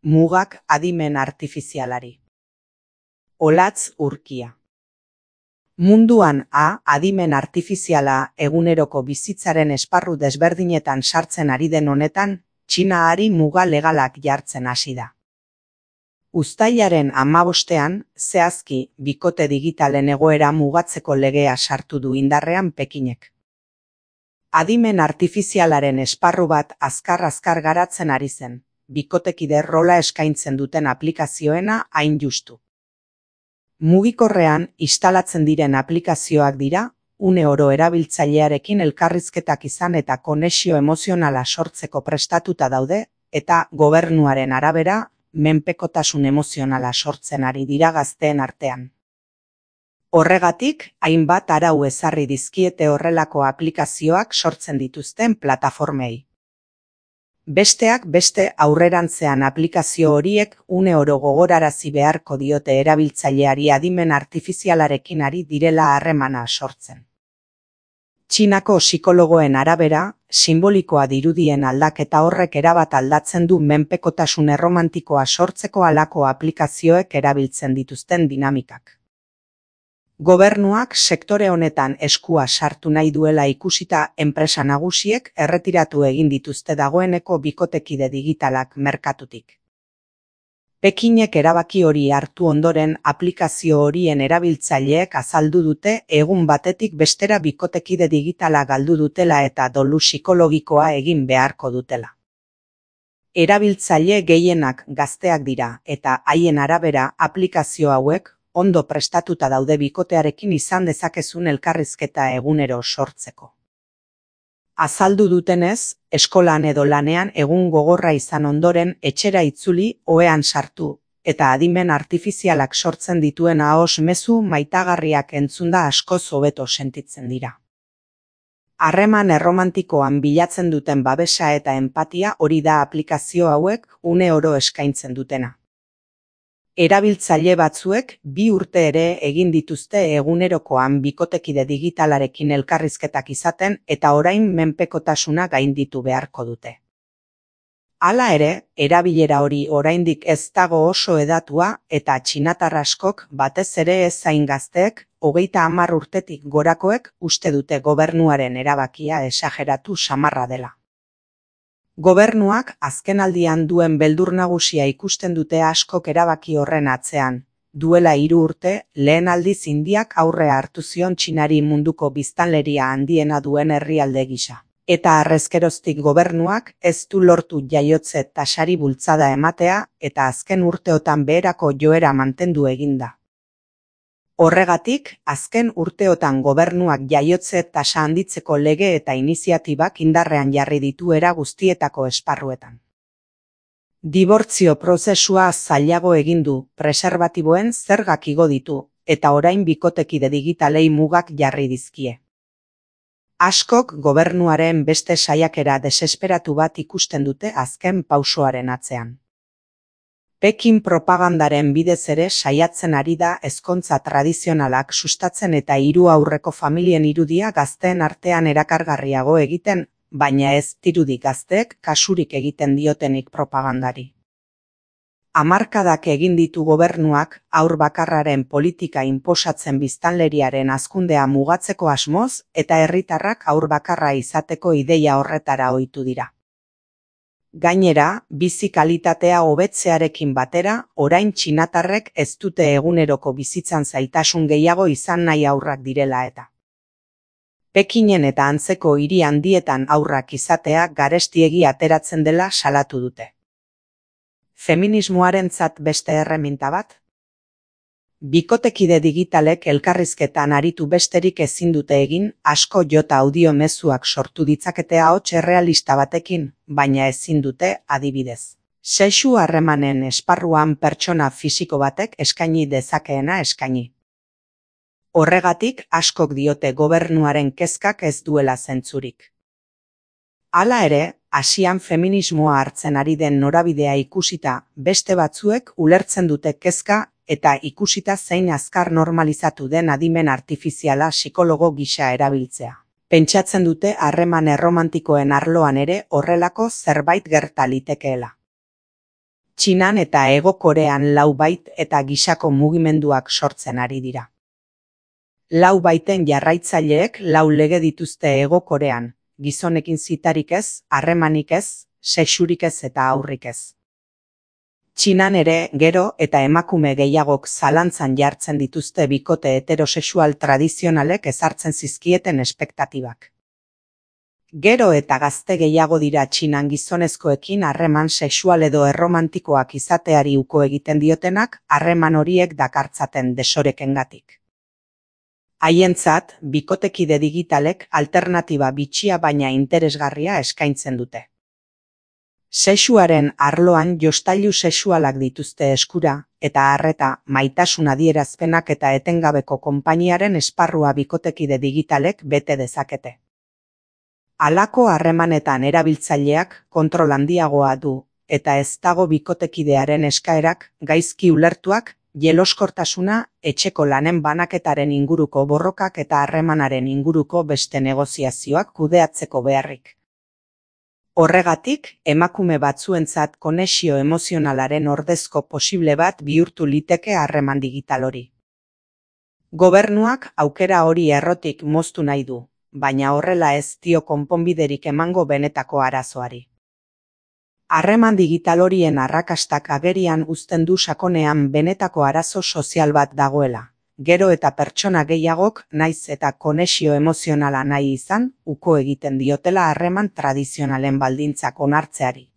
Mugak adimen artifizialari. Olatz Urkia. Munduan adimen artifiziala eguneroko bizitzaren esparru desberdinetan sartzen ari den honetan, Txina muga legalak jartzen hasi da. Uztailaren 15ean, zehazki, bikote digitalen egoera mugatzeko legea sartu du indarrean Pekinek. Adimen artifizialaren esparru bat azkar garatzen ari zen, bikotekide rola eskaintzen duten aplikazioena hain justu. Mugikorrean instalatzen diren aplikazioak dira, une oro erabiltzailearekin elkarrizketak izan eta konexio emozionala sortzeko prestatuta daude, eta gobernuaren arabera, menpekotasun emozionala sortzen ari dira gazteen artean. Horregatik, hainbat arau ezarri dizkiete horrelako aplikazioak sortzen dituzten plataformei. Besteak beste aurrerantzean aplikazio horiek une oro gogorarazi beharko diote erabiltzaileari adimen artifizialarekin ari direla harremana sortzen. Txinako psikologoen arabera, sinbolikoa dirudien aldaketa horrek erabat aldatzen du menpekotasun erromantikoa sortzeko halako aplikazioek erabiltzen dituzten dinamikak. Gobernuak sektore honetan eskua sartu nahi duela ikusita enpresa nagusiek erretiratu egin dituzte dagoeneko bikotekide digitalak merkatutik. Pekinek erabaki hori hartu ondoren aplikazio horien erabiltzaileek azaldu dute egun batetik bestera bikotekide digitala galdu dutela eta dolu psikologikoa egin beharko dutela. Erabiltzaile gehienak gazteak dira eta haien arabera aplikazio hauek ondo prestatuta daude bikotearekin izan dezakezun elkarrizketa egunero sortzeko. Azaldu dutenez, eskolan edo lanean egun gogorra izan ondoren etxera itzuli ohean sartu, eta adimen artifizialak sortzen dituen ahos mezu maitagarriak entzunda askoz hobeto sentitzen dira. Harreman erromantikoan bilatzen duten babesa eta enpatia hori da aplikazio hauek une oro eskaintzen dutena. Erabiltzaile batzuek 2 urte ere egin dituzte egunerokoan bikotekide digitalarekin elkarrizketak izaten eta orain menpekotasuna gainditu beharko dute. Hala ere, erabilera hori oraindik ez dago oso hedatua eta txinatar askok batez ere ez zain gazteek 30 urtetik gorakoek uste dute gobernuaren erabakia esageratu samarra dela. Gobernuak azkenaldian duen beldur nagusia ikusten dute askok erabaki horren atzean. Duela 3 urte, lehen aldiz Indiak aurrea hartu zion Txinari munduko biztanleria handiena duen herrialde gisa. Eta harrezkeroztik gobernuak ez du lortu jaiotze tasari bultzada ematea eta azken urteotan beherako joera mantendu eginda. Horregatik, azken urteotan gobernuak jaiotze tasa handitzeko lege eta iniziatibak indarrean jarri ditu era guztietako esparruetan. Dibortzio prozesua zailago egin du, preserbatiboen zergak igo ditu, eta orain bikotekide digitalei mugak jarri dizkie. Askok gobernuaren beste saiakera desesperatu bat ikusten dute azken pausoaren atzean. Pekin propagandaren bidez ere saiatzen ari da ezkontza tradizionalak sustatzen eta 3 aurreko familien irudia gazteen artean erakargarriago egiten, baina ez dirudi gazteek kasurik egiten diotenik propagandari. Hamarkadak egin ditu gobernuak haur bakarraren politika inposatzen biztanleriaren hazkundea mugatzeko asmoz eta herritarrak haur bakarra izateko ideia horretara ohitu dira. Gainera, bizi kalitatea hobetzearekin batera, orain txinatarrek ez dute eguneroko bizitzan zailtasun gehiago izan nahi haurrak direla eta. Pekinen eta antzeko hiri handietan haurrak izatea garestiegi ateratzen dela salatu dute. Feminismoarentzat beste erreminta bat? Bikotekide digitalek elkarrizketan aritu besterik ezin dute egin, asko jota audio mezuak sortu ditzakete ahots errealista batekin, baina ezin dute adibidez. Sexu harremanen esparruan pertsona fisiko batek eskaini dezakeena eskaini. Horregatik askok diote gobernuaren kezkak ez duela zentzurik. Hala ere, Asian feminismoa hartzen ari den norabidea ikusita, beste batzuek ulertzen dute kezka eta ikusita zein azkar normalizatu den adimen artifiziala psikologo gisa erabiltzea. Pentsatzen dute harreman erromantikoen arloan ere horrelako zerbait gerta litekeela. Txinan eta Hego Korean lau bait eta gisako mugimenduak sortzen ari dira. Lau baiten jarraitzaileek lau lege dituzte Hego Korean, gizonekin zitarik ez, harremanik ez, sexurik ez eta aurrik ez. Txinan ere gero eta emakume gehiagok zalantzan jartzen dituzte bikote heterosexual tradizionalek ezartzen zizkieten espektatibak. Gero eta gazte gehiago dira Txinan gizonezkoekin harreman sexual edo erromantikoak izateari uko egiten diotenak harreman horiek dakartzaten desorekengatik. Haientzat, bikotekide digitalek alternatiba bitxia baina interesgarria eskaintzen dute. Sexuaren arloan jostailu sexualak dituzte eskura, eta arreta, maitasun adierazpenak eta etengabeko konpainiaren esparrua bikotekide digitalek bete dezakete. Halako harremanetan erabiltzaileak kontrol handiagoa du, eta ez dago bikotekidearen eskaerak gaizki ulertuak, jeloskortasuna, etxeko lanen banaketaren inguruko borrokak eta harremanaren inguruko beste negoziazioak kudeatzeko beharrik. Horregatik, emakume batzuentzat konexio emozionalaren ordezko posible bat bihurtu liteke harreman digital hori. Gobernuak aukera hori errotik moztu nahi du, baina horrela ez dio konponbiderik emango benetako arazoari. Harreman digital horien arrakastak agerian uzten du sakonean benetako arazo sozial bat dagoela. Gero eta pertsona gehiagok naiz eta konexio emozionala nahi izan, uko egiten diotela harreman tradizionalen baldintzak onartzeari.